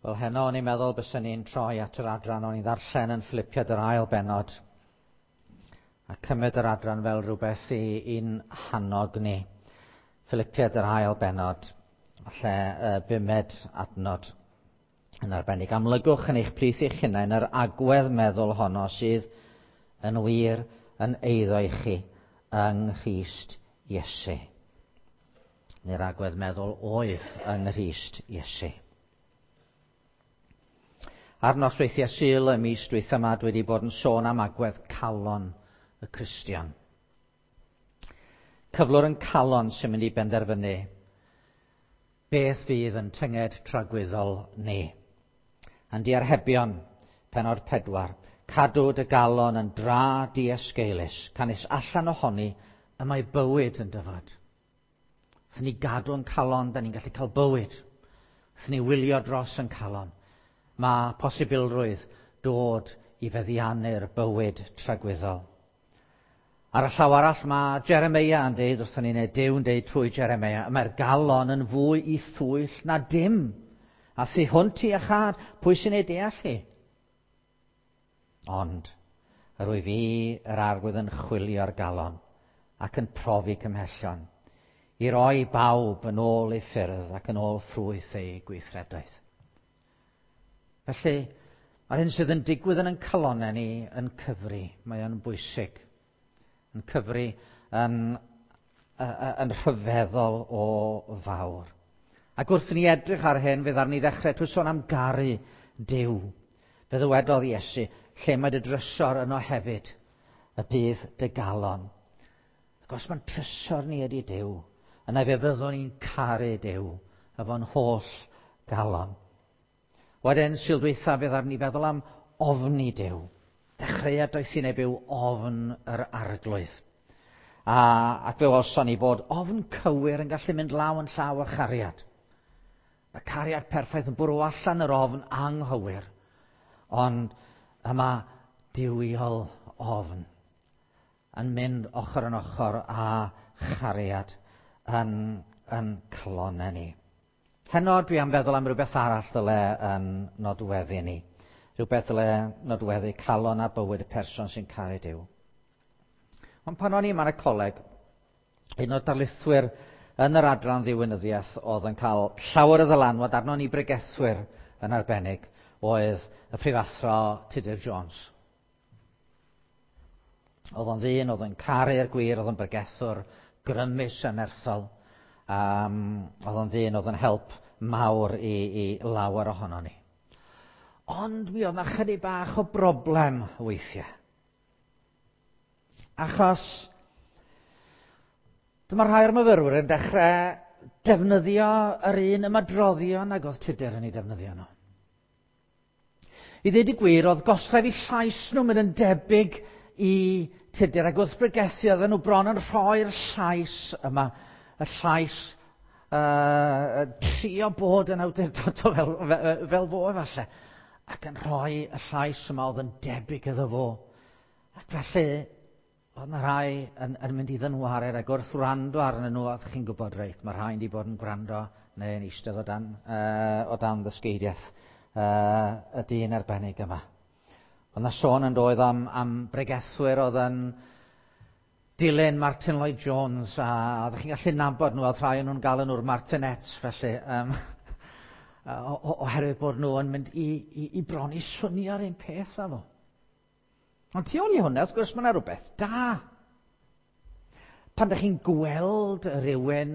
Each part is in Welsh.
Wel, heno o'n i'n meddwl byswn ni'n troi at yr adran o'n i'n ddarllen yn Philipiad yr ail bennod a cymryd yr adran fel rhywbeth i, i'n hannog ni. Philipiad yr ail bennod, falle bumed adnod yn arbennig. Amlygwch yn eich plith eich hunain yr agwedd meddwl honno sydd yn wir yn eiddo i chi yng Nghrist Iesu. Neu'r agwedd meddwl oedd yng Nghrist Iesu. Ar nosweithiau Sul y mis dwytha yma, dwi wedi bod yn sôn am agwedd calon y Cristion. Cyflwr yn calon sy'n mynd i benderfynu beth fydd yn tynged tragwyddol ni. Yn diarhebion, penod 4, cadw dy galon yn dra diesgeulus, canys allan ohoni y mae bywyd yn dyfod. Wrth ni gadw yn calon, da ni'n gallu cael bywyd. Wrth ni wylio dros yn calon, mae posibilrwydd dod i feddiannu'r bywyd tragwyddol. Ar y llaw arall mae Jeremia yn deud wrthon ni, neu Duw yn deud trwy Jeremia, mae'r galon yn fwy i thwyll na dim. A thu hwnt i iachâd, pwy sy'n ei deall hi? Ond, yr wyf fi yr Arglwydd yn chwilio'r galon ac yn profi cymhellion, i roi bawb yn ôl ei ffyrdd ac yn ôl ffrwyth ei gweithredoedd. Felly, mae'r hyn sydd yn digwydd yn ein calonnau ni yn cyfri, mae o'n bwysig. Yn cyfri yn, yn rhyfeddol o fawr. Ac wrth ni edrych ar hyn, fe ddaru ni ddechrau trwy sôn am garu Duw. Fe ddywedodd Iesu, lle mae dy drysor yno hefyd, y bydd dy galon. Ac os mae'n trysor ni ydy Duw, yna fe fyddwn ni'n caru Duw efo'n holl galon. Wedyn, Sul dwytha, fe ddaru ni feddwl am ofni Duw. Dechreuad doethineb yw ofn yr Arglwydd. A, ac fe welson ni bod ofn cywir yn gallu mynd law yn llaw â chariad. Mae cariad perffaith yn bwrw allan yr ofn anghywir. Ond yma duwiol ofn yn mynd ochr yn ochr â chariad yn, yn calonnau ni. Heno dwi am feddwl am rhywbeth arall ddyle yn nodweddu ni. Rhywbeth ddyle nodweddu calon a bywyd y person sy'n caru Duw. Ond pan o'n i yma yn y coleg, un o'r darlithwyr yn yr adran ddiwinyddiaeth oedd yn cael llawer o ddylanwad arnon ni bregethwyr yn arbennig oedd y prifathro Tudur Jones. Oedd o'n ddyn, oedd yn caru'r gwir, oedd yn bregethwr grymus a nerthol. Oedd o'n ddyn, oedd yn help mawr i, i lawer ohono ni. Ond mi oedd na chydig bach o broblem weithiau. Achos dyma rhai o'r myfyrwyr yn dechrau defnyddio yr un ymadroddion ag oedd Tudur yn ei defnyddio nhw. I ddweud y gwir, oedd goslef i llais nhw'n mynd yn debyg i Tudur, ac wrth bregethu oedden nhw bron yn rhoi'r llais yma, y llais trio bod yn awdurdodol fel, fel, fel fo efallai, ac yn rhoi y llais yma oedd yn debyg iddo fo. Ac felly, oedd yna rhai yn, yn mynd i ddynwared ac wrth wrando arnyn nhw, oedd chi'n gwybod reit, mae rhai wedi bod yn gwrando neu yn eistedd o dan, o dan ddysgeidiaeth y dyn arbennig yma. Oedd yna sôn yn doedd am, am bregethwyr oedd yn dilyn Martin Lloyd Jones a oeddech chi'n gallu nabod nhw, oedd rhai o'n nhw'n galw nhw'r Martinets felly, um, oherwydd bod nhw yn mynd i, i, i bron i swnio'r un peth â fo. Ond tu ôl i hwnna, wrth gwrs, mae yna rhywbeth da. Pan ydych chi'n gweld rhywun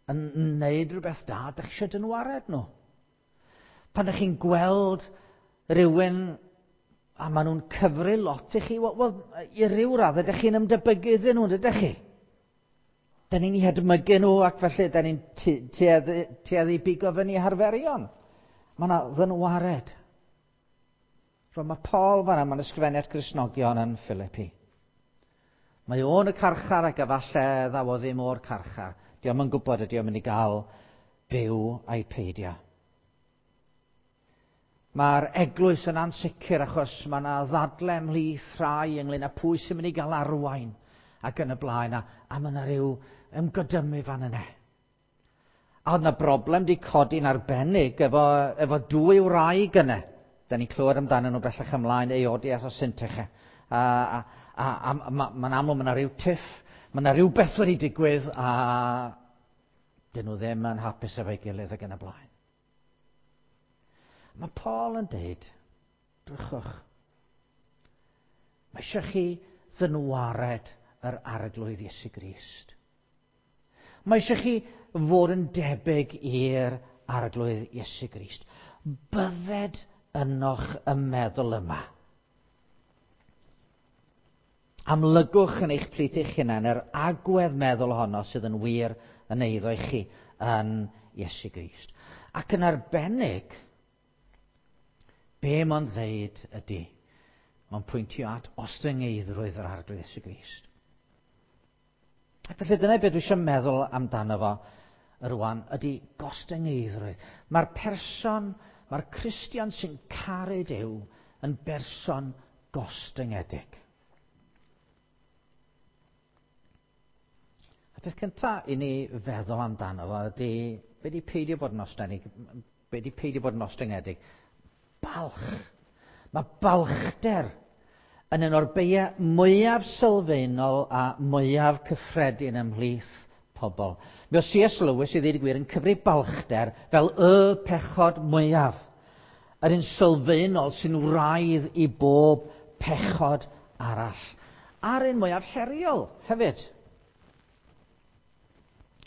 yn wneud rhywbeth da, ydych chi eisiau dynwared nhw. Pan ydych chi'n gweld rhywun a maen nhw'n cyfri lot i chi, wel, wel i ryw radd ydych chi'n ymdebygu iddyn nhw, ydych chi? Da ni'n eu hedmygu nhw ac felly da ni'n tueddu, tueddu bigo fyny harferion. Mae yna ddynwared. Rwan mae Paul fanna, mae'n ysgrifennu at Gristnogion yn Philippi. Mae o'n y carchar ac efallai ddaw o ddim o'r carchar. Dio'm yn gwybod ydy o'n mynd i gael byw a'i peidio. Mae'r eglwys yn ansicr achos mae yna ddadle ymhlith rhai ynglyn â pwy sy'n mynd i gael arwain ac yn y blaen a, a mae yna rhyw ymgodymu fan yna. A oedd yna broblem di codi'n arbennig efo dwy wraig yna. Da ni'n clywed amdanyn nhw bellach ymlaen, Euodias a Syntyche. A mae'n amlwg mae yna rhyw tiff, mae yna rhywbeth wedi digwydd a dyn nhw ddim yn hapus efo'i gilydd ac yn y blaen. Mae Paul yn deud, drychwch, mae eisiau chi ddynwared yr Arglwydd Iesu Grist. Mae eisiau chi fod yn debyg i'r Arglwydd Iesu Grist. Bydded ynoch y meddwl yma. Amlygwch yn eich plith eich hunain yr agwedd meddwl honno sydd yn wir yn eiddo i chi yn Iesu Grist. Ac yn arbennig, be mae'n ddeud ydy, mae'n pwyntio at ostyngeiddrwydd yr Arglwydd Iesu Grist. Ac felly dyna beth dwi eisiau meddwl amdano fo rwan, ydy gostyngeiddrwydd. Mae'r person, mae'r Cristion sy'n caru Duw yn berson gostyngedig. A peth cyntaf i ni feddwl amdano fo ydy, be di peidio bod yn ostyngedig? Be di peidio bod yn ostyngedig? Balch. Mae balchder yn un o'r beiau mwyaf sylfaenol a mwyaf cyffredin ymhlith pobl. Mi oedd C.S. Lewis, i ddweud y gwir, yn cyfri balchder fel y pechod mwyaf. Yr un sylfaenol sy'n wraidd i bob pechod arall. A'r un mwyaf heriol hefyd.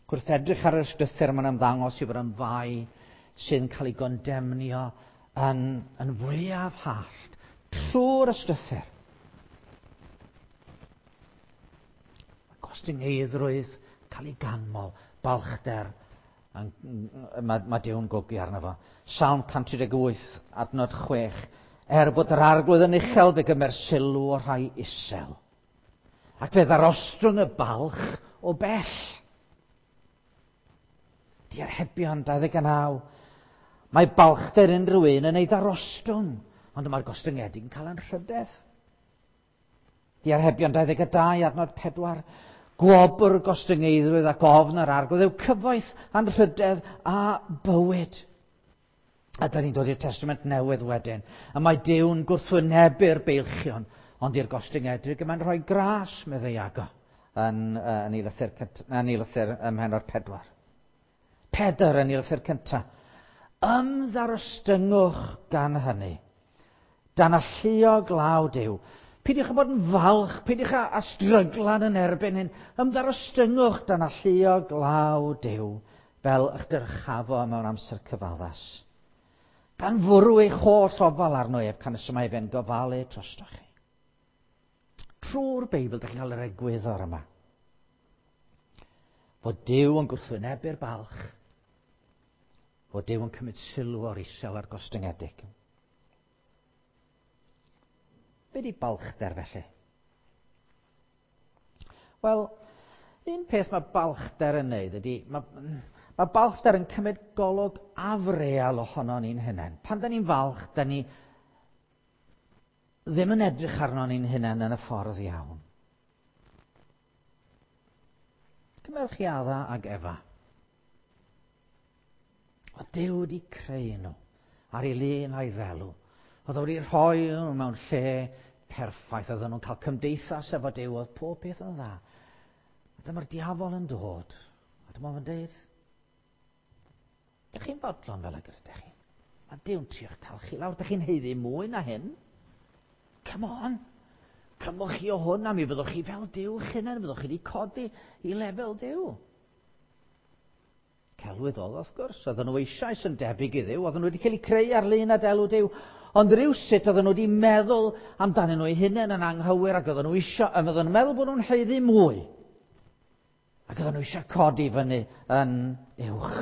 Wrth edrych ar yr ysgrythur, mae'n ymddangos i fod yn fai sydd yn cael ei gondemnio yn fwyaf hallt trwy'r ysgrythur. Gostyngeiddrwydd, cael ei ganmol, balchder, mae Duw'n gogi arno fo. Salm 138, adnod 6. Er bod yr Arglwydd yn uchel, fe gymer sylw o'r rhai isel. Ac fe ddarostwng y balch o bell. Diarhebion 29. Mae balchder unrhyw un yn ei ddarostwng, ond mae'r gostyngedig yn cael anrhydedd. Diarhebion 22, adnod 4. Gwobr gostyngeiddrwydd ac ofn yr Arglwydd yw cyfoeth, anrhydedd a bywyd. A da ni'n dod i'r Testament Newydd wedyn. A mae Duw'n gwrthwynebu'r beilchion, ond i'r gostyngedig y mae'n rhoi gras, meddai Iago, yn ei lythyr ym mhennod 4. Pedr yn ei lythyr cyntaf. Ymddarostyngwch gan hynny. Dan alluog law Duw. Peidiwch â bod yn falch, peidiwch â stryglan yn erbyn hyn. Ymddarostyngwch dan alluog law Duw, fel eich dyrchafo mewn amser cyfaddas. Gan fwrw eich holl ofal arno ef, canys y mae fe'n gofalu drostoch chi. Trwy'r Beibl, dych chi'n cael yr egwyddor yma. Fod Duw yn gwrthwynebu'r balch. Fod Duw yn cymryd sylw o'r isel a'r gostyngedig. Be di balchder felly? Wel, un peth mae balchder yn neud ydy, mae balchder yn cymryd golwg afreal ohono ni'n hunain. Pan da ni'n falch, da ni ddim yn edrych arno ni'n hunain yn y ffordd iawn. Cymerwch chi Adda ag Efa. Oedd Duw wedi creu nhw ar ei lun a'i ddelw. Oedd o wedi rhoi nhw mewn lle perffaith. Oedden nhw'n cael cymdeithas efo Duw, oedd pob peth yn dda. A dyma'r diafol yn dod. A dyma fo'n deud, dych chi'n fodlon fel ag ydych chi? Mae Duw'n trio cael chi lawr. Dych chi'n haeddu mwy na hyn? Come on. Cymwch chi o hwn a mi fyddwch chi fel Duw eich hunain. Fyddwch chi wedi codi i lefel Duw. Celwydd oedd, wrth gwrs. Oedden nhw eisoes yn debyg i Dduw. Oedden nhw wedi cael eu creu ar lun a delw Duw. Ond rywsut oedden nhw wedi meddwl amdanyn nhw eu hunain yn anghywir ac oedden nhw eisiau, oedden nhw'n meddwl bod nhw'n haeddu mwy. Ac oedden nhw eisiau codi fyny yn uwch.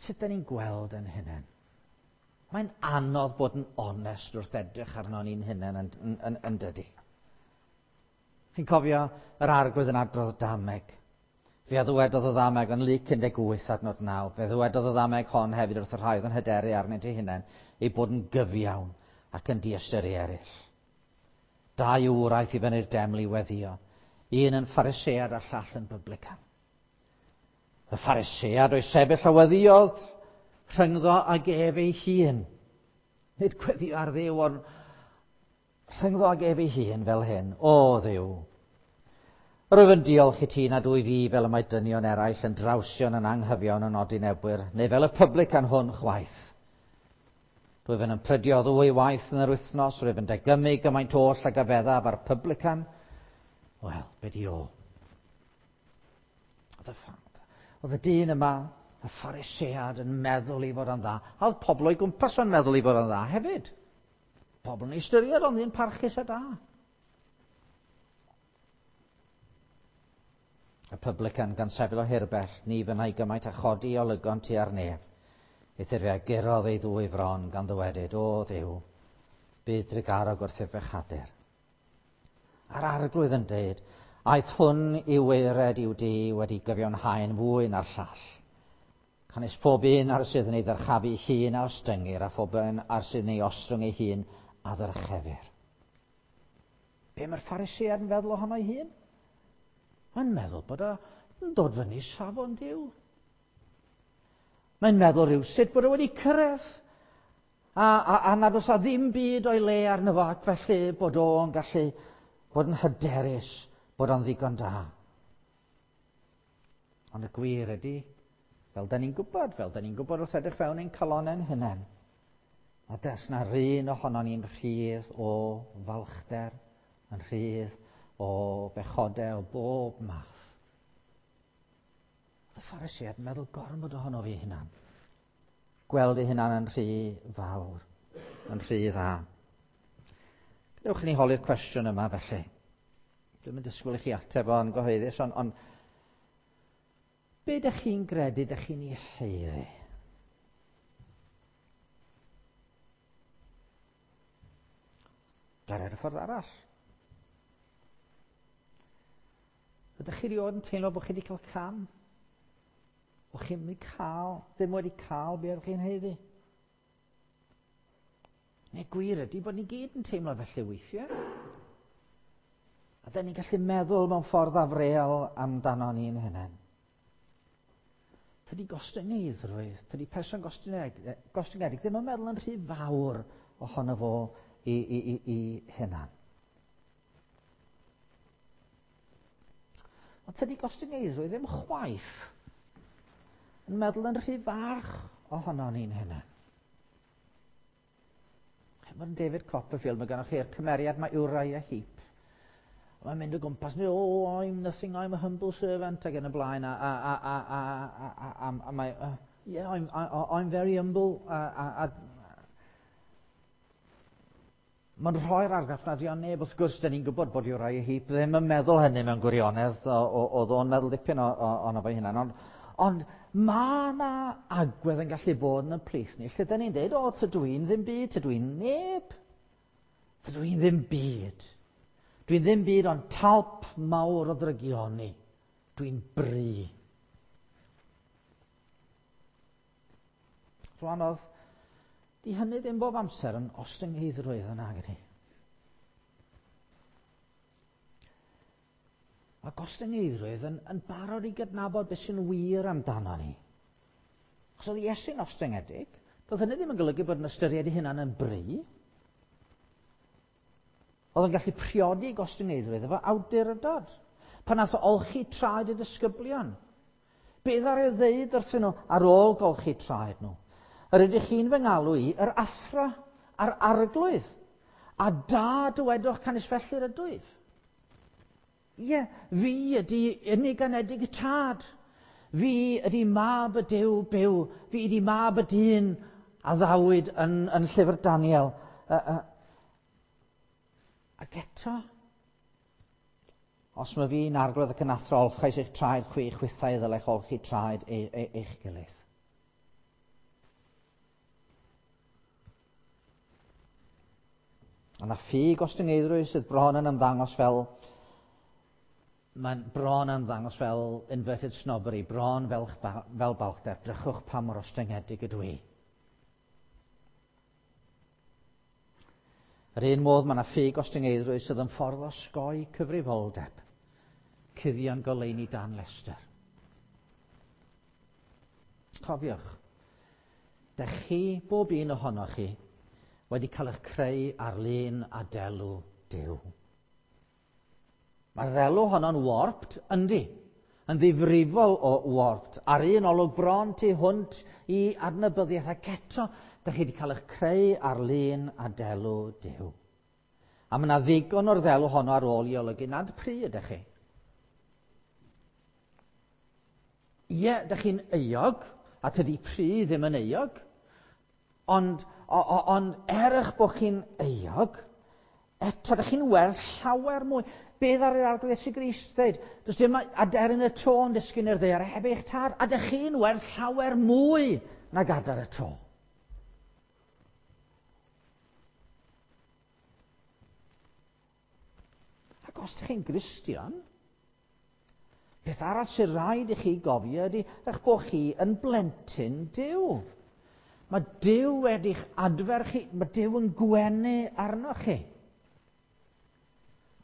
Sut da ni'n gweld yn hunain? Mae'n anodd bod yn onest wrth edrych arno ni'n hunain yn dydi. Chi'n cofio yr Arglwydd yn adrodd dameg. Fe a ddywedodd y ddameg yn Luc 18 adnod 9. Fe ddywedodd y ddameg hon hefyd wrth y rhai oedd yn hyderu arnynt eu hunain eu bod yn gyfiawn ac yn diystyru eraill. Dau ŵr aeth i fyny'r deml i weddïo. Un yn Pharisead a'r llall yn publican. Y Pharisead o'i sefyll a weddiodd rhyngddo ag ef ei hun. Nid gweddio ar Dduw, ond rhyngddo ag ef ei hun fel hyn. O Dduw, rwyf yn diolch i ti nad wyf fi fel y mae dynion eraill yn drawsion yn anghyfion yn odinebwyr, neu fel y publican hwn chwaith. Rwyf yn ymprydio ddwy waith yn yr wythnos, rwyf yn degymu gymaint oll ag a feddaf a'r publican. Wel, be di o? Oedd y dyn yma, y Pharisead, yn meddwl i fod yn dda. A oedd pobl o'i gwmpas o'n meddwl i fod yn dda hefyd. Pobl yn ystyried o'n ddyn parchus a da. Y publican gan sefyll o hirbell, ni fynnai gymaint a chodi olygon tua'r nef. Eithr fe a gurodd ei ddwy fron gan ddywedyd, O Dduw, bydd drugarog wrth ei bechadur. A'r Arglwydd yn dweud, aeth hwn i waered i'w dŷ wedi gyfiawnhau'n fwy na'r llall. Canys pob un ar sydd yn ei ddyrchafu hun a ostyngir, a phob un ar sydd yn ei ostwng ei hun a ddyrchefir. Be mae'r Pharisead yn feddwl ohono ei hun? Mae'n meddwl bod o'n dod fyny safon Duw. Mae'n meddwl rhywsut bod o wedi cyrraedd a nad oes a ddim byd o'i le arno fo, ac felly bod o'n gallu bod yn hyderus bod o'n ddigon da. Ond y gwir ydy, fel da ni'n gwybod, fel da ni'n gwybod wrth edrych fewn ein calonnau'n hunain, a des na run ohono ni'n rhydd o falchder, yn rhydd o bechodau o bob math. Oedd y Pharisead yn meddwl gormod ohono fi hunan. Gweld ei hunan yn rhy fawr, yn rhy dda. Gadewch i ni holi'r cwestiwn yma felly. Dwi'm yn disgwyl i chi ateb o'n gyhoeddus, ond be ydych chi'n gredu ydych chi'n ei haeddu? Gair ar y ffordd arall. Ydych chi rioed yn teimlo bod chi wedi cael cam? Bod chi'n mynd cael, ddim wedi cael be oeddech chi'n haeddu? Neu gwir ydy bod ni gyd yn teimlo felly weithiau. A da ni'n gallu meddwl mewn ffordd afreal amdano ni'n hunain. Tydi gostyngeiddrwydd, tydi person gostyngedig ddim yn meddwl yn rhy fawr ohono fo i hunan. Ond tydi gostyngeiddrwydd ddim chwaith yn meddwl yn rhy fach ohono ni'n hunan. Mae'n David Copperfield, mae gennych chi'r cymeriad mae Uriah Heep. Mae'n mynd o gwmpas, oh, I'm nothing, I'm a humble servant, ac yn y blaen, a mae, yeah, I'm very humble, a mae'n rhoi'r argraff nad yw o'n neb. Wrth gwrs, da ni'n gwybod bod Uriah Heep ddim yn meddwl hynny mewn gwirionedd, oedd o'n meddwl dipyn ono fo'i hunan, ond mae yna agwedd yn gallu bod yn y plith ni, lle da ni'n dweud, o, tydw i'n ddim byd, tydw i'n neb, tydw i'n ddim byd. Dwi'n ddim byd ond talp mawr o ddrygioni. Dwi'n bri. Rwan oedd, di hynny ddim bob amser yn ostyngeiddrwydd yna, gyda. Mae gostyngeiddrwydd yn barod i gydnabod beth sy'n wir amdano ni. Os oedd Iesu'n ostyngedig, doedd hynny ddim yn golygu bod yn ystyried ei hunan yn bri. Oedd yn gallu priodi gostyngeiddrwydd efo awdurdod. Pan nath o olchi traed y disgyblion. Beth ar ei ddeud wrthyn nhw ar ôl golchi traed nhw? Yr ydych chi'n fy ngalw i, yr athro a'r arglwydd. A da dywedwch canys felly'r ydwyf. Ie, fi ydy unig anedig y tad. Fi ydy mab y Duw byw. Fi ydy mab y dyn a ddawyd yn llyfr Daniel. Ac eto, os mae fi'n arglwydd ac yn athro, olchais eich traed chwi, chwithau ddylech olchi traed eich gilydd. A na ffug ostyngeiddrwydd sydd bron yn ymddangos fel, mae'n bron yn ymddangos fel inverted snobbery, bron fel balchder. Drychwch pa mor ostyngedig ydw i. Yr un modd mae yna ffug ostyngeiddrwydd sydd yn ffordd o osgoi cyfrifoldeb. Cuddio'n goleuni dan lestr. Cofiwch, dych chi, bob un ohonoch chi, wedi cael eich creu ar lun a delw Duw. Mae'r ddelw honno'n warped, yndi, yn ddifrifol o warped, ar un olwg bron tu hwnt i adnabyddiaeth, ac eto, dych chi wedi cael eich creu ar lun a delw Duw. A mae yna ddigon o'r ddelw honno ar ôl i olygu nad pry ydych chi. Ie, dych chi'n euog, a tydi pry ddim yn euog, ond, ond er eich bod chi'n euog, eto dych chi'n werth llawer mwy. Beth ar yr Arglwydd Iesu Grist dweud? Does dim aderyn y to yn disgyn i'r ddaear heb eich tad, a dych chi'n werth llawer mwy nag adar y to. Ac os ydych chi'n Gristion, peth arall sy'n rhaid i chi gofio ydy eich bod chi yn blentyn Duw. Mae Duw wedi'ch adfer chi, mae Duw yn gwenu arnoch chi.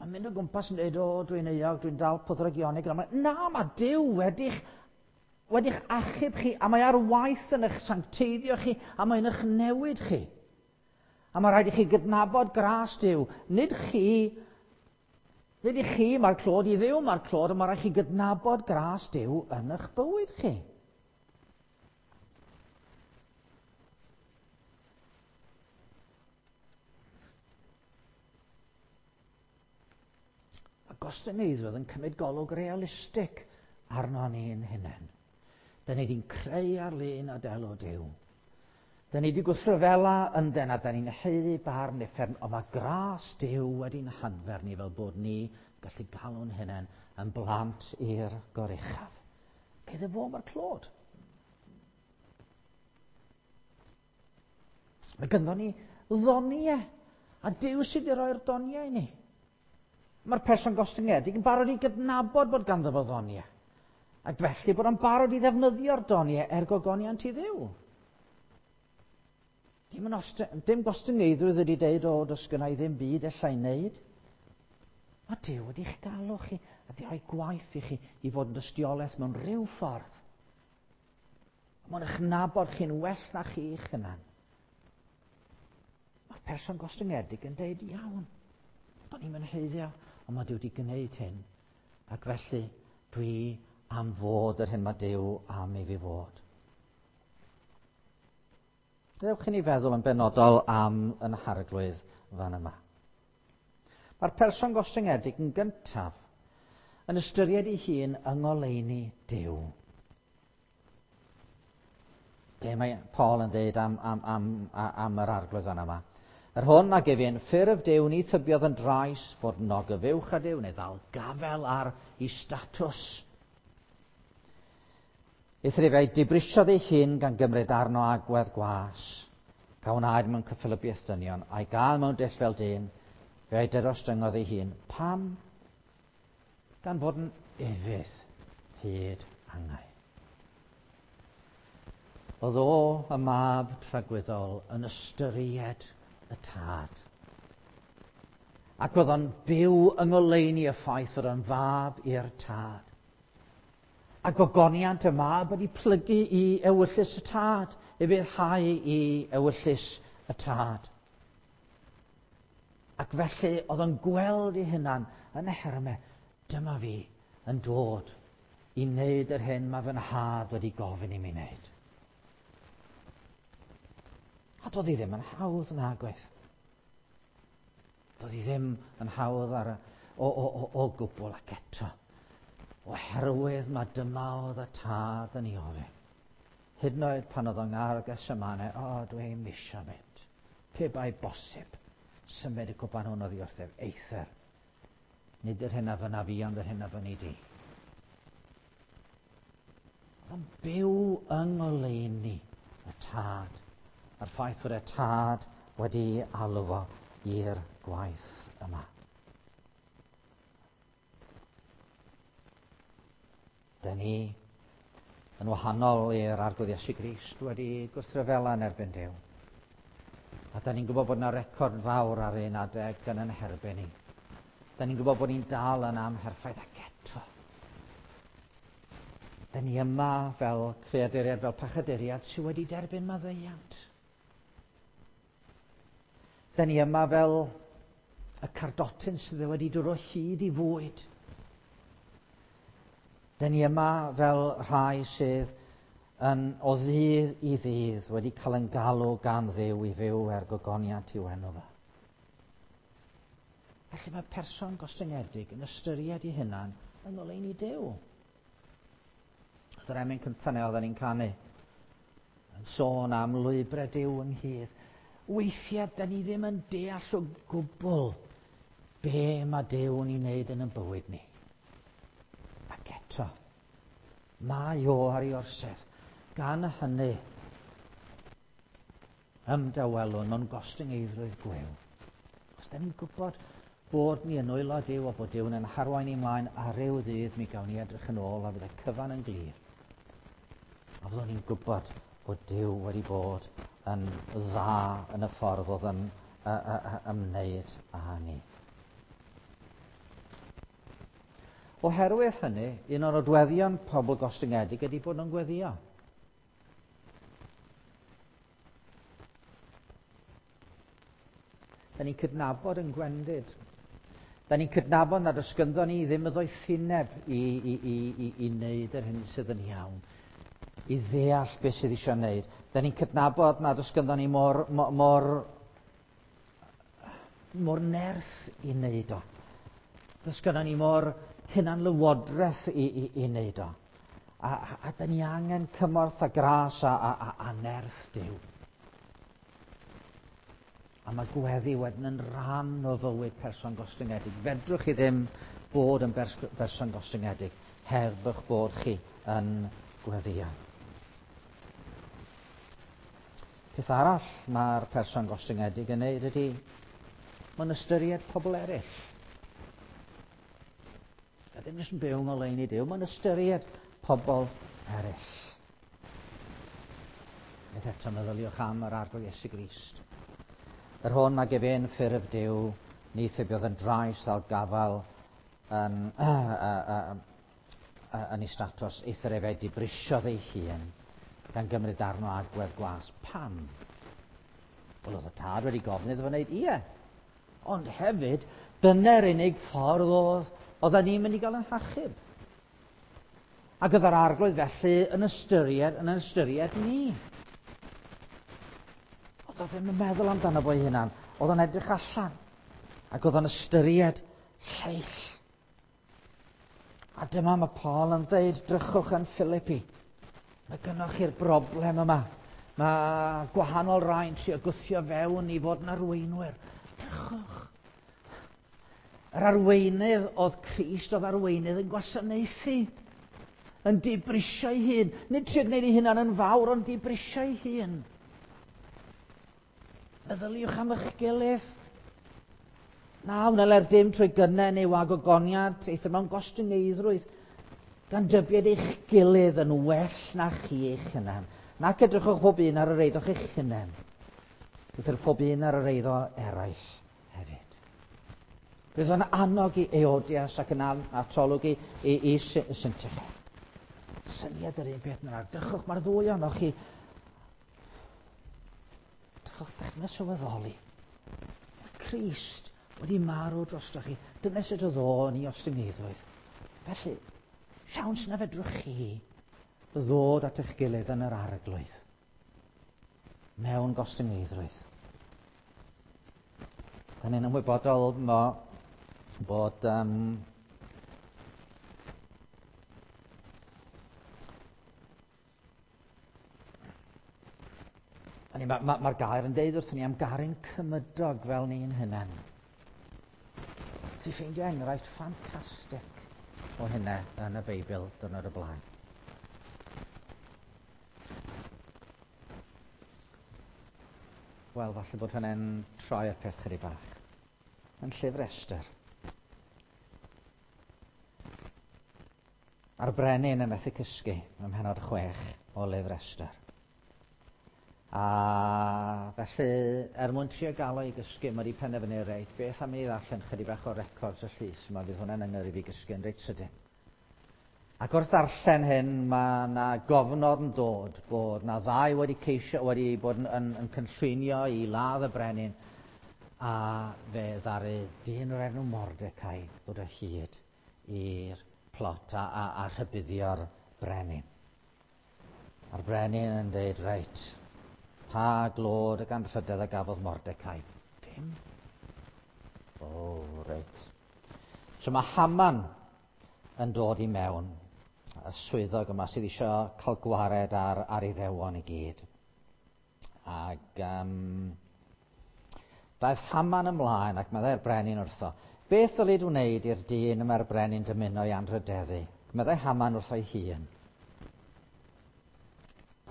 Mae'n mynd o gwmpas yn dweud, o, dwi'n euog, dwi'n dal pwdrygionig. Na, mae Duw wedi'ch wedi'ch achub chi, a mae ar waith yn eich sancteiddio chi, a mae'n eich newid chi. A mae rhaid i chi gydnabod gras Duw. Nid chi, nid i chi mae'r clod, i Dduw mae'r clod, ond mae rhaid chi gydnabod gras Duw yn eich bywyd chi. Mae gostyngeiddrwydd yn cymryd golwg realistig arno ni'n hunain. Da ni wedi'n creu ar lun a delw Duw. Da ni wedi gwrthryfela yndden a da ni'n haeddu barn uffern, ond mae gras Duw wedi'n hadfer ni fel bod ni gallu galw'n hunain yn blant i'r goruchaf. Gyda fo mae'r clod. Mae ganddo ni ddoniau, a Duw sydd wedi rhoi'r doniau i ni. Mae'r person gostyngedig yn barod i gydnabod bod ganddo fo ddoniau, ac felly bod o'n barod i ddefnyddio'r doniau er gogoniant i Dduw. Dim, yn oste, dim gostyngeiddrwydd wedi deud, o, does gynna i ddim byd allai wneud. Mae Duw wedi'ch galw chi a wedi rhoi gwaith i chi i fod yn dystiolaeth mewn rhyw ffordd. Mae'n eich nabod chi'n well na chi'ch hunan. Mae'r person gostyngedig yn deud, iawn, do'n i'n haeddu, ond mae Duw wedi gwneud hyn. Ac felly, dwi am fod yr hyn mae Duw am i fi fod. Dewch i ni feddwl yn benodol am yn Harglwydd fan yma. Mae'r person gostyngedig yn gyntaf yn ystyried ei hun yng ngoleuni Duw. Be mae Paul yn dweud am, am, am, am yr Arglwydd fan yma? Yr hwn ag ef yn ffurf Duw ni thybiodd yn drais fod yn ogyfuwch â Duw neu ddal gafel ar ei statws. Eithr efe a'i dibrisiodd ei hun gan gymryd arno agwedd gwas, a wnaed mewn cyffelybiaeth dynion, a'i gael mewn dull fel dyn, fe a'i darostyngodd ei hun. Pam? Gan fod yn ufudd hyd angau. Oedd o, y mab tragwyddol, yn ystyried y tad. Ac oedd o'n byw yng ngoleuni y ffaith fod o'n fab i'r tad. A gogoniant y mab wedi plygu i ewyllys y tad, ufuddhau i ewyllys y tad. Ac felly oedd o'n gweld ei hunan yn y hermau, dyma fi yn dod i wneud yr hyn mae fy nhad wedi gofyn i mi wneud. A doedd hi ddim yn hawdd nag oedd. Doedd hi ddim yn hawdd ar y, o, o, o, o gwbl ac eto. Oherwydd mae dyma oedd y tad yn ei ofyn. Hyd yn oed pan oedd o'n ngardd Gethsemane, o, dwi'n misio mynd. Pe bai bosib, symud y cwpan hwn oddi wrthyf, eithr. Nid yr hyn a fynna fi, ond yr hyn a fynni di. Oedd o'n byw yng ngoleuni y tad. A'r ffaith fod y tad wedi alw fo i'r gwaith yma. Dyn ni, yn wahanol i'r Arglwydd Iesu Grist, wedi gwrthryfela yn erbyn Duw. A da ni'n gwybod bod yna record fawr ar un adeg yn yn herbyn ni. Da ni'n gwybod bod ni'n dal yn amherffaith ac eto. Da ni yma fel creaduriad, fel pechaduriad sydd wedi derbyn maddeuant. Da ni yma fel y cardotyn sydd wedi dod o hyd i fwyd. Da ni yma fel rhai sydd yn o ddydd i ddydd wedi cael yn galw gan Dduw i fyw er gogoniant i'w enw fe. Felly mae person gostyngedig yn ystyried ei hunan yng ngoleuni Duw. Oedd yr emyn cyntaf neu oedden ni'n canu yn sôn am lwybrau Duw ynghyd. Weithiau, da ni ddim yn deall o gwbl be mae Duw yn ei wneud yn y bywyd ni. Ac eto, mae o ar ei orsedd. Gan hynny, ymdawelwn mewn gostyngeiddrwydd gwiw. Os da ni'n gwybod bod ni yn nwylo Duw a bod Duw'n yn harwain ni mlaen a ryw ddydd mi gawn ni edrych yn ôl a fydd y cyfan yn glir. A fyddwn ni'n gwybod bod Duw wedi bod yn dda yn y ffordd oedd yn ymwneud â ni. Oherwydd hynny, un o'r nodweddion pobl gostyngedig ydy bod nhw'n gweddio. Da ni'n cydnabod yn gwendid. Da ni'n cydnabod nad oes gynddo ni ddim y ddoethineb i, i, i, i, i wneud yr hyn sydd yn iawn, i ddeall beth sydd eisiau wneud. Da ni'n cydnabod nad oes gynddo ni mor, mor, mor, mor nerth i wneud o. Does gyda ni mor hunanlywodraeth i, i, i wneud o. A, a, a da ni angen cymorth a gras a, a, a, a nerth Duw. A mae gweddi wedyn yn rhan o fywyd person gostyngedig. Fedrwch chi ddim bod yn berson gostyngedig heb eich bod chi yn gweddio. Peth arall mae'r person gostyngedig yn neud ydy, mae'n ystyried pobl eraill. A ddim jyst yn byw ngoleuni Duw, mae'n ystyried pobl eraill. Beth eto meddyliwch am yr Arglwydd Iesu Grist. Yr hwn ag ef yn ffurf Duw, ni thybiodd yn drais ddal gafael yn, yn ei statws, eithr efe dibrisiodd ei hun, gan gymryd arno agwedd gwas. Pam? Wel, oedd y tad wedi gofyn iddo fo wneud, ie. Ond hefyd, dyna'r unig ffordd oedd oedden ni'n mynd i gael yn hachub. Ac oedd yr Arglwydd felly yn ystyried, yn ystyried ni. Oedd o ddim yn meddwl amdano fo ei hunan. Oedd o'n edrych allan. Ac oedd o'n ystyried lleill. A dyma mae Paul yn dweud, drychwch yn Philippi. Mae gynnwch chi'r broblem yma. Mae gwahanol rai'n trio gwthio fewn i fod yn arweinwyr. Drychwch. Yr arweinydd oedd Crist, oedd arweinydd yn gwasanaethu, yn dibrisio ei hun. Nid trio gwneud ei hunan yn fawr, ond dibrisio ei hun. Meddyliwch am eich gilydd. Na, wneler dim trwy gynnau neu wag o goniad, eithr mewn gostyngeiddrwydd, gan dybied eich gilydd yn well na chi eich hunan. Nac edrychwch pob un ar yr eiddo'ch eich hunan, eithr pob un ar yr eiddo eraill hefyd. Bydd yn annog i Eodias ac yn atolwg i, i, i Syntyche. Syniad yr un peth yna. Dychwch, mae'r ddwy ohonoch chi. Dychwch, dechrau sylweddoli. Mae Crist wedi marw drostoch chi. Dyna sut oedd o yn ei ostyngeiddoedd. Felly, siawns na fedrwch chi ddod at eich gilydd yn yr Arglwydd mewn gostyngeiddrwydd. Da ni'n ymwybodol mo, bod Mae'r ma, ma gair yn deud wrthyn ni am garu'n cymydog fel ni'n hunain. Ti'n ffeindio enghraifft ffantastig o hynna yn y Beibl dwrnod y blaen. Wel, falle bod hynny'n troi'r peth chydig bach. Yn llyfr Esther. A'r brenin yn methu cysgu ym mhenod 6 o lyfr Esther. A felly, er mwyn trio gael o i gysgu, mae wedi penderfynu, reit, beth am i ddarllen chydig bach o records y llys yma, fydd hwnna'n yngyrru fi gysgu yn reit sydyn. Ac wrth ddarllen hyn, mae yna gofnod yn dod bod na ddau wedi ceisio, wedi bod yn cynllwynio i ladd y brenin, a fe ddaru dyn o'r enw Mordecai ddod o hyd i'r plot a rhybuddio'r brenin. A'r brenin yn dweud, reit, pa glod ac anrhydedd a gafodd Mordecai? Dim. O, reit. So mae Haman yn dod i mewn, y swyddog yma sydd eisiau cael gwared ar Iddewon i gyd. Ac daeth Haman ymlaen ac meddai'r brenin wrtho, beth ddylid wneud i'r dyn y mae'r brenin dymuno i anrhydeddu? Meddai Haman wrtho'i hun.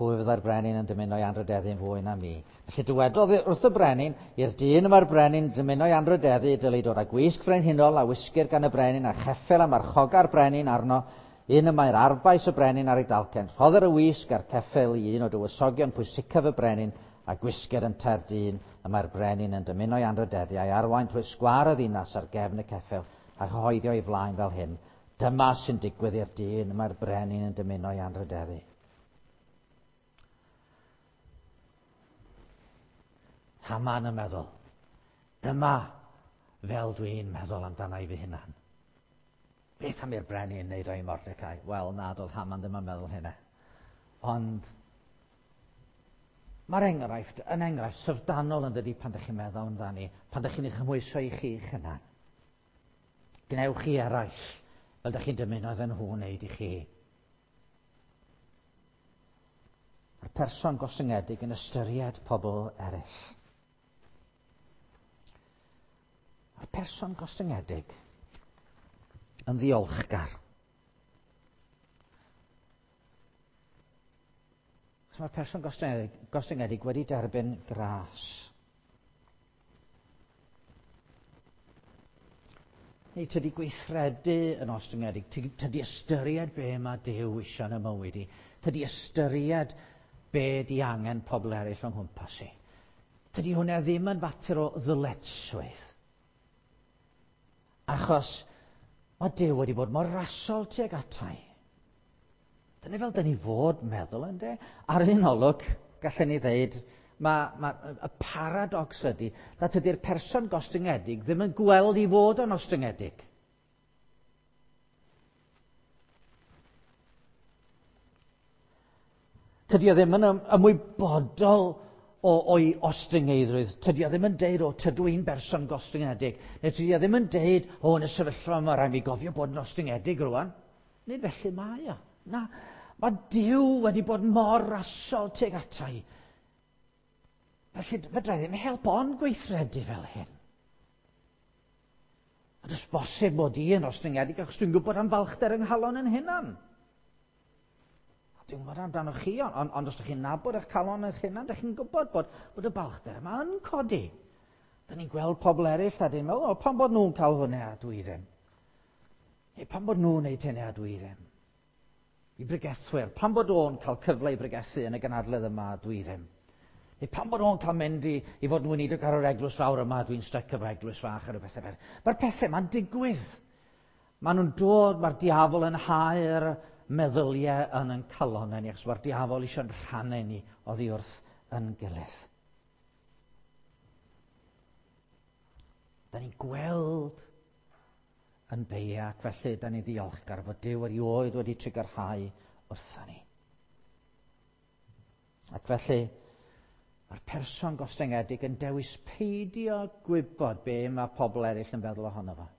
Pwy fyddai'r brenin yn dymuno i anrhydeddu'n fwy na mi? Felly dywedodd wrth y brenin, i'r dyn y mae'r brenin dymuno i anrhydeddu, dylid dod â gwisg frenhinol a wisgir gan y brenin a cheffyl a marchoga'r brenin arno, un y mae'r arfbais y brenin ar ei dalcen. Rhoddir y wisg a'r ceffyl i un o dywysogion pwysicaf y brenin a gwisgir yntau'r dyn y mae'r brenin yn dymuno i anrhydeddu a'i arwain trwy sgwâr y ddinas ar gefn y ceffyl a chyhoeddi o'i flaen fel hyn. Dyma sy'n digwydd i'r dyn y mae'r brenin yn dymuno i anrhydeddu. Haman yn meddwl, dyma fel dwi'n meddwl amdana i fy hunan. Beth am i'r brenin wneud o'i Mordecai? Wel, na, doedd Haman ddim yn meddwl hynna. Ond mae'r enghraifft yn enghraifft syfrdanol yn dydi pan ydych chi'n meddwl amdani, pan ydych chi'n ei chymhwyso i chi'ch hunan. Gwnewch chi eraill fel ydych chi'n dymuno iddyn nhw wneud i chi. Mae'r person gostyngedig yn ystyried pobl eraill. Mae'r person gostyngedig yn ddiolchgar. So mae'r person gostyngedig wedi derbyn gras. Neu tydi gweithredu yn ostyngedig, tydi ystyried be mae Duw eisiau yn y mywyd i, tydi ystyried be di angen pobl eraill o'n nghwmpas i. Tydi hwnna ddim yn fater o ddyletswydd. Achos mae Duw wedi bod mor rasol tuag atai. Dyna fel dyn ni fod meddwl, ynde? Ar un olwg, gallen ni ddeud, y paradox ydy nad ydy'r person gostyngedig ddim yn gweld i fod yn ostyngedig. Tydi o ddim yn ymwybodol o'i ostyngeiddrwydd. Tydi o ddim yn deud, o, tydw i'n berson gostyngedig. Neu tydi o ddim yn deud, o, yn y sefyllfa yma, rhaid mi gofio bod yn ostyngedig rwan. Nid felly mae o. Na, mae Duw wedi bod mor rasol tuag atai. Felly, fedra i ddim help ond gweithredu fel hyn. A does bosib mod i yn ostyngedig achos dwi'n gwybod am falchder yng nghalon yn hunan. A dwi'n gwybod amdano chi, ond os ydych chi'n nabod eich calon eich hunan, ydych chi'n gwybod bod y balchder yma yn codi. Da ni'n gweld pobl eraill a dyn meddwl, o, pam bod nhw'n cael hwnna a dwi ddim? Neu pam bod nhw'n neud hynny a dwi ddim? I bregethwyr, pam bod o'n cael cyfle i bregethu yn y gynhadledd yma a dwi ddim? Neu pam bod o'n cael mynd i fod yn weinidog ar yr eglwys fawr yma, dwi'n styc efo eglwys fach ar y pethau fel. Mae'r pethau yma'n digwydd. Maen nhw'n dod, mae'r diafol yn hau'r meddyliau yn ein calonnau ni, achos mae'r diafol eisiau'n rhannu ni oddi wrth yn gilydd. Da ni'n gweld yn beia, ac felly da ni'n ddiolchgar fod Duw erioed wedi trugarhau wrtho ni. Ac felly, mae'r person gostyngedig yn dewis peidio gwybod be mae pobl eraill yn feddwl ohono fo.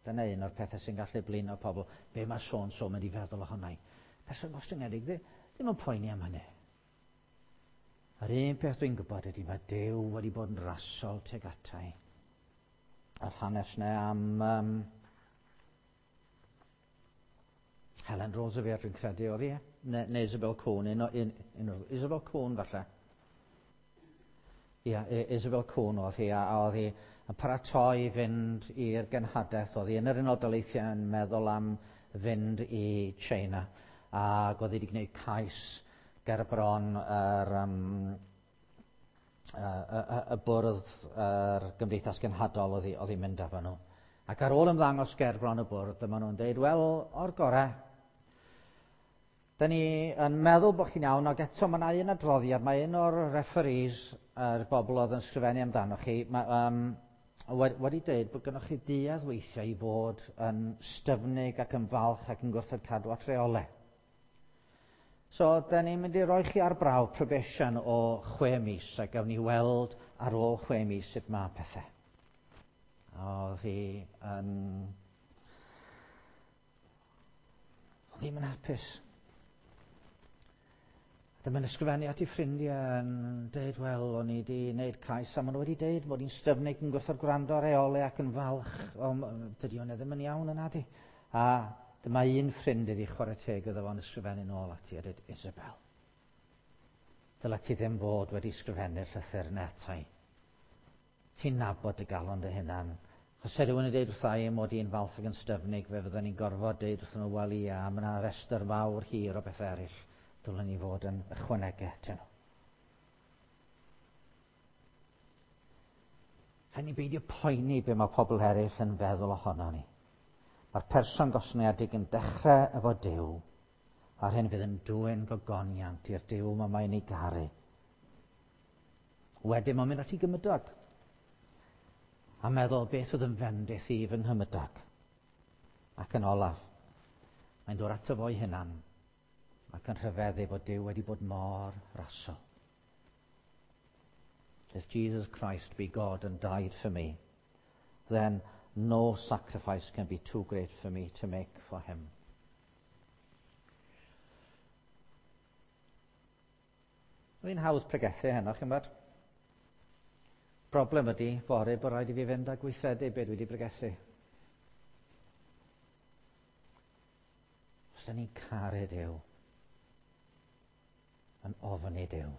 Dyna un o'r pethau sy'n gallu blino pobl, be mae so-and-so mynd i feddwl ohono i. Person gostyngedig ddim yn poeni am hynny. Yr un peth dwi'n gwybod ydy mae Duw wedi bod yn rasol tuag ata i. A'r hanes yna am Helen Roosevelt, dwi'n credu oedd hi, neu Isabel Cohn, un o'r Isabel Cohn falle. Ia, Isabel Cohn oedd hi, a oedd hi yn paratoi i fynd i'r genhadaeth, oedd hi yn yr Unol Daleithiau yn meddwl am fynd i China, ac oedd hi wedi gwneud cais ger bron y bwrdd yr Gymdeithas Genhadol oedd hi'n mynd efo nhw. Ac ar ôl ymddangos ger bron y bwrdd, dyma nhw'n deud, wel, o'r gorau, da ni yn meddwl bod chi'n iawn, ac eto mae yna un adroddiad, mae un o'r referees, yr bobl oedd yn sgrifennu amdano chi, mae, wedi dweud bod gennych chi duedd weithiau i fod yn styfnig ac yn falch ac yn gwrthod cadw at reolau. So, da ni'n mynd i roi chi ar brawf probation o 6 mis, a gawn ni weld ar ôl 6 mis sut mae pethau. Oedd hi yn... Oedd hi'm yn hapus. Dyma'n ysgrifennu at ei ffrindiau yn deud, wel, o'n i wedi gwneud cais a maen nhw wedi deud mod i'n styfnig yn gwrthod gwrando ar reolau ac yn falch, o, dydy hwnna ddim yn iawn yna di. A dyma un ffrind iddi chwarae teg iddo fo'n ysgrifennu nôl ati a dweud, Isabel, dyle ti ddim fod wedi ysgrifennu'r llythyr yna ata i. Ti'n nabod dy galon dy hunan. Os se rhywun yn deud wrtha i mod i'n falch ac yn styfnig, fe fydden ni'n gorfod deud wrthyn nhw, wel ia, mae yna restr fawr hir o bethau eraill dylen ni fod yn ychwanegu atyn nhw. Rhaid ni beidio poeni be mae pobl eraill yn feddwl ohono ni. Mae'r person gostyngedig yn dechrau efo Duw, a'r hyn fydd yn dwyn gogoniant i'r Duw mae mae'n ei garu. Wedyn mae'n mynd at ei gymydog a meddwl beth oedd yn fendith i fy nghymydog. Ac yn olaf, mae'n dod ato fo'i hunan ac yn rhyfeddu bod Duw wedi bod mor rasol. If Jesus Christ be God and died for me, then no sacrifice can be too great for me to make for him. Oedd hi'n hawdd pregethu heno, chi'n bod? Broblem ydy, fory bod rhaid i fi fynd a gweithredu be dwi wedi pregethu. Os da ni'n caru Duw, yn ofni Duw,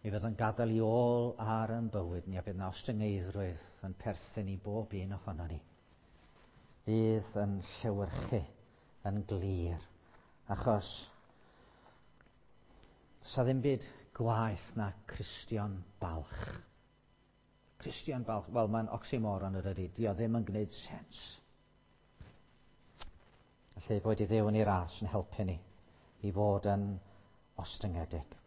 mi fydd yn gadael i ôl ar yn bywyd ni a bydd na ostyngeiddrwydd yn perthyn i bob un ohono ni. Fydd yn llewyrchu yn glir, achos sa ddim byd gwaeth na Cristion balch. Cristion balch, wel mae'n oxymoron yr ydy, di o ddim yn gwneud sens. Felly boed i Dduw yn ei ras yn helpu ni i fod yn ostyngedig.